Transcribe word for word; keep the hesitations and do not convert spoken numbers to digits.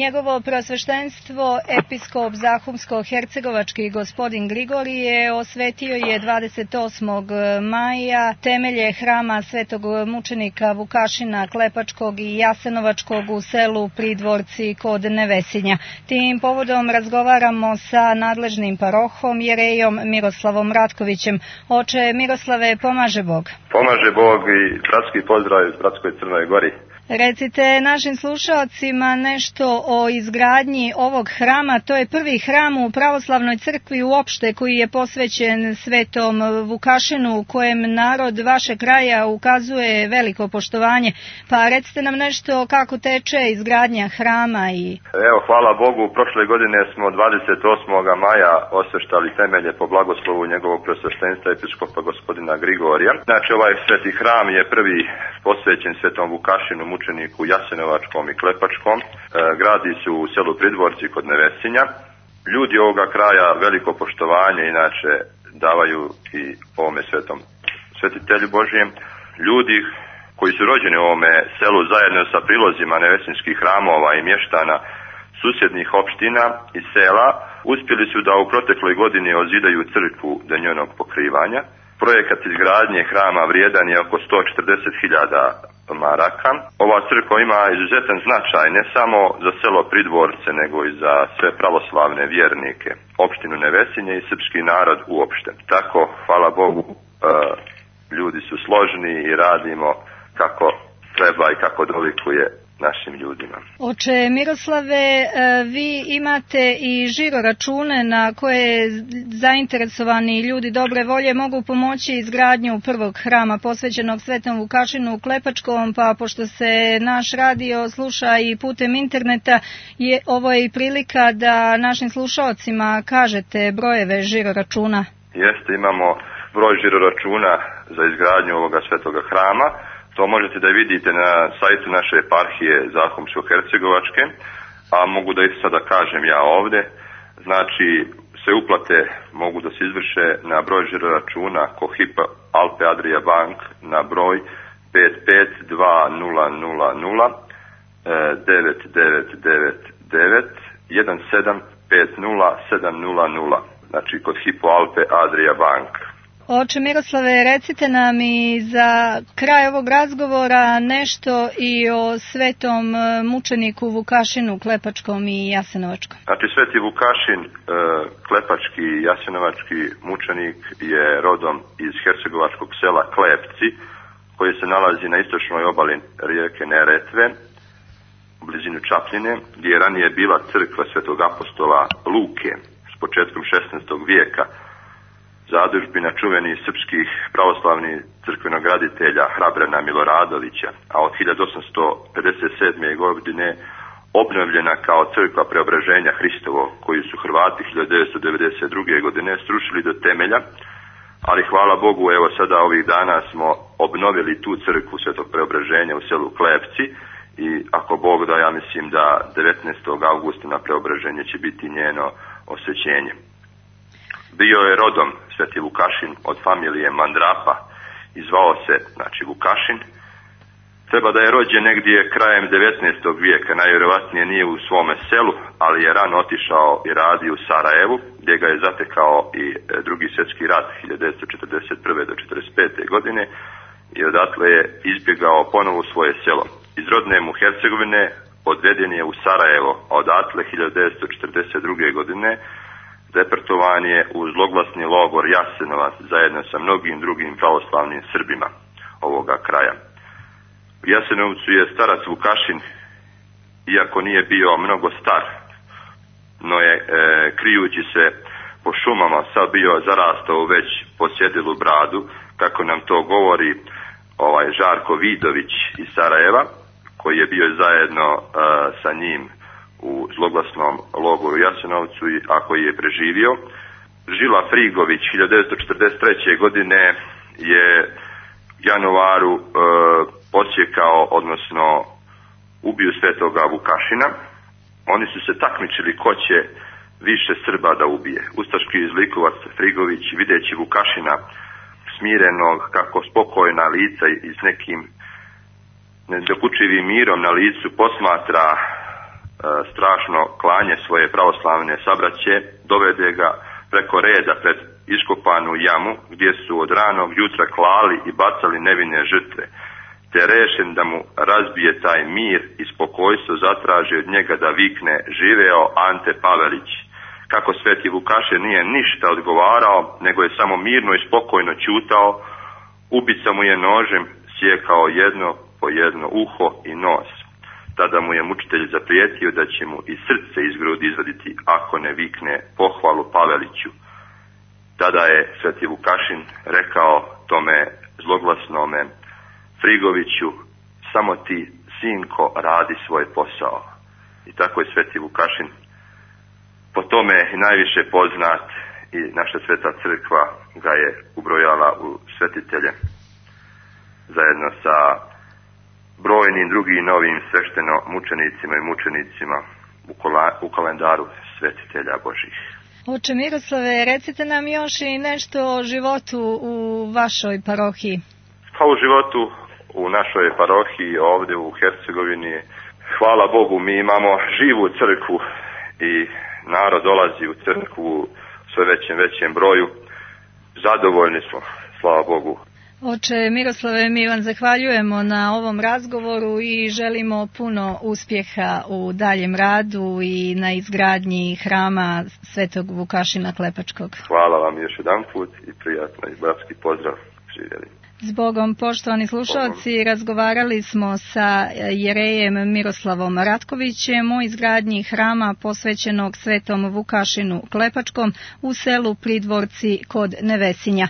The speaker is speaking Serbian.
Njegovo preosveštenstvo, episkop Zahumsko-hercegovački gospodin Grigorije, osvetio je dvadeset osmog maja temelje hrama svetog mučenika Vukašina Klepačkog i Jasenovačkog u selu Pridvorci kod Nevesinja. Tim povodom razgovaramo sa nadležnim parohom, jerejom Miroslavom Ratkovićem. Oče Miroslave, pomaže Bog. Pomaže Bog i bratski pozdrav iz bratskoj Crnoj Gori. Recite našim slušalcima nešto o izgradnji ovog hrama. To je prvi hram u pravoslavnoj crkvi uopšte koji je posvećen svetom Vukašinu, u kojem narod vašeg kraja ukazuje veliko poštovanje. Pa recite nam nešto kako teče izgradnja hrama. I... Evo, hvala Bogu, prošle godine smo dvadeset osmog maja osveštali temelje po blagoslovu njegovog preosveštenstva episkopa gospodina Grigorija. Znači, ovaj sveti hram je prvi posvećen svetom Vukašinu, mučeniku Jasenovačkom i Klepačkom. E, gradi se u selu Pridvorci kod Nevesinja. Ljudi ovoga kraja veliko poštovanje inače davaju i ovome svetom svetitelju Božijem. Ljudi koji su rođeni u ovome selu zajedno sa prilozima nevesinskih hramova i mještana susjednih opština i sela uspjeli su da u protekloj godini ozidaju crkvu do njenog pokrivanja. Projekat izgradnje hrama vrijedan je oko sto četrdeset hiljada maraka. Ova crkva ima izuzetan značaj ne samo za selo Pridvorce, nego i za sve pravoslavne vjernike, opštinu Nevesinje i srpski narod uopšte. Tako, hvala Bogu, ljudi su složni i radimo kako treba i kako dolikuje našim ljudima. Oče Miroslave, vi imate i žiro račune na koje zainteresovani ljudi dobre volje mogu pomoći izgradnju prvog hrama posvećenog svetom Vukašinu u Klepačkom, pa pošto se naš radio sluša i putem interneta, je ovo je i prilika da našim slušalcima kažete brojeve žiro računa. Jeste, imamo broj žiro računa za izgradnju ovoga svetoga hrama. To možete da vidite na sajtu naše eparhije Zahumsko-hercegovačke, a mogu da ih sada kažem ja ovdje. Znači, sve uplate mogu da se izvrše na broj žiro računa Cohipa Alpe Adria Bank na broj pet pet dva nula nula nula devet devet devet devet jedan sedam pet nula sedam nula nula. Znači, kod Hypo Alpe Adria Bank. Oče Miroslave, recite nam i za kraj ovog razgovora nešto i o svetom mučeniku Vukašinu Klepačkom i Jasenovačkom. Znači, sveti Vukašin, Klepački i Jasenovački mučenik je rodom iz hercegovačkog sela Klepci, koji se nalazi na istočnoj obali rijeke Neretve, u blizinu Čapljine, gdje je ranije bila crkva svetog apostola Luke s početkom šesnaestog vijeka, zadužbina čuvenih srpskih pravoslavnih crkvenograditelja Hrabrana Miloradovića, a od hiljadu osamsto pedeset sedme. godine obnovljena kao crkva Preobraženja Hristovo, koju su Hrvati hiljadu devetsto devedeset druge. godine srušili do temelja, ali hvala Bogu, evo sada ovih dana smo obnovili tu crkvu Svetog Preobraženja u selu Klepci i ako Bog da, ja mislim da devetnaestog augusta na Preobraženje će biti njeno osvećenje. Bio je rodom sveti Vukašin od familije Mandrapa i zvao se, znači, Vukašin. Treba da je rođen negdje krajem devetnaestog. vijeka, najvjerovatnije nije u svome selu, ali je rano otišao i radio u Sarajevu, gdje ga je zatekao i drugi svjetski rat hiljadu devetsto četrdeset prve. do četrdeset pete. godine i odatle je izbjegao ponovo u svoje selo. Iz rodne mu Hercegovine odveden je u Sarajevo, a odatle hiljadu devetsto četrdeset druge. godine deportovan je u zloglasni logor Jasenovac zajedno sa mnogim drugim pravoslavnim Srbima ovoga kraja. U Jasenovcu je starac Vukašin, iako nije bio mnogo star, no je e, krijući se po šumama sad bio zarastao već posjedilu bradu, kako nam to govori ovaj Žarko Vidović iz Sarajeva, koji je bio zajedno e, sa njim u zloglasnom logoru Jasenovcu, a koji je preživio. Žila Frigović hiljadu devetsto četrdeset treće. godine je januaru e, posjekao, odnosno ubio svetoga Vukašina. Oni su se takmičili ko će više Srba da ubije. Ustaški zlikovac Frigović, videći Vukašina smirenog, kako spokojna lica i s nekim nedokučivim mirom na licu posmatra strašno klanje svoje pravoslavne sabraće, dovede ga preko reda pred iskopanu jamu gdje su od ranog jutra klali i bacali nevine žrtve, te rešen da mu razbije taj mir i spokojstvo zatraži od njega da vikne živeo Ante Pavelić. Kako sveti Vukašin nije ništa odgovarao, nego je samo mirno i spokojno ćutao, ubica mu je nožem sjekao jedno po jedno uho i nos. Tada mu je mučitelj zaprijetio da će mu i srce iz grudi izvaditi ako ne vikne pohvalu Paveliću. Tada je sveti Vukašin rekao tome zloglasnome Frigoviću, samo ti, sinko, radi svoj posao. I tako je sveti Vukašin po tome najviše poznat i naša sveta crkva ga je ubrojala u svetitelje zajedno sa brojnim drugim novim svešteno mučenicima i mučenicima u, kola, u kalendaru svetitelja Božih. Oče Miroslave, recite nam još i nešto o životu u vašoj parohiji. Pa u životu u našoj parohiji ovdje u Hercegovini, hvala Bogu, mi imamo živu crkvu i narod dolazi u crkvu u sve većem većem broju. Zadovoljni smo, slava Bogu. Oče Miroslave, mi vam zahvaljujemo na ovom razgovoru i želimo puno uspjeha u daljem radu i na izgradnji hrama Svetog Vukašina Klepačkog. Hvala vam još jedan put i prijatno i bratski pozdrav. Živjeli. Zbogom, poštovani slušalci, razgovarali smo sa jerejem Miroslavom Ratkovićem o izgradnji hrama posvećenog Svetom Vukašinu Klepačkom u selu Pridvorci kod Nevesinja.